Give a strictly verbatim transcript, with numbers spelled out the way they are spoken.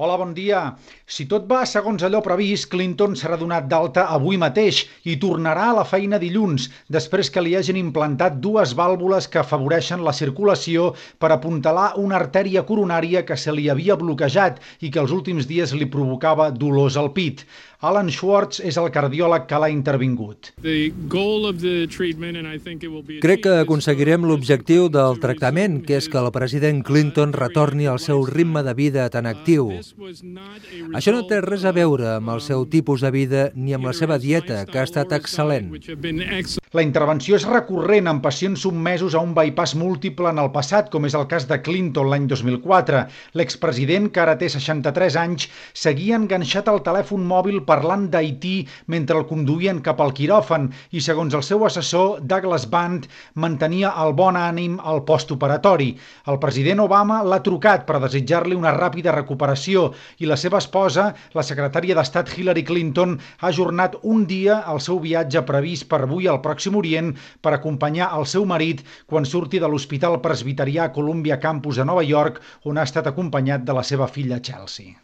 Hola, bon dia. Si tot va segons allò previst, Clinton serà donat d'alta avui mateix i tornarà a la feina dilluns, després que li hagin implantat dues vàlvules que afavoreixen la circulació per apuntalar una artèria coronària que se li havia bloquejat i que els últims dies li provocava dolors al pit. Alan Schwartz és el cardiòleg que l'ha intervingut. Crec que aconseguirem l'objectiu del tractament, que és que el president Clinton retorni al seu ritme de vida tan actiu. Això no té res a veure amb el seu tipus de vida ni amb la seva dieta, que ha estat excel·lent. La intervenció és recurrent en pacients sotmesos a un bypass múltiple en el passat, com és el cas de Clinton l'any dos mil quatre. L'expresident, que ara té seixanta-tres anys, seguia enganxat al telèfon mòbil parlant d'Haití mentre el conduïen cap al quiròfan i, segons el seu assessor, Douglas Band, mantenia el bon ànim al postoperatori. El president Obama l'ha trucat per desitjar-li una ràpida recuperació i la seva esposa, la secretària d'Estat Hillary Clinton, ha ajornat un dia el seu viatge previst per avui al Pròxim Orient per acompanyar el seu marit quan surti de l'Hospital Presbiterià Columbia Campus a Nova York, on ha estat acompanyat de la seva filla Chelsea.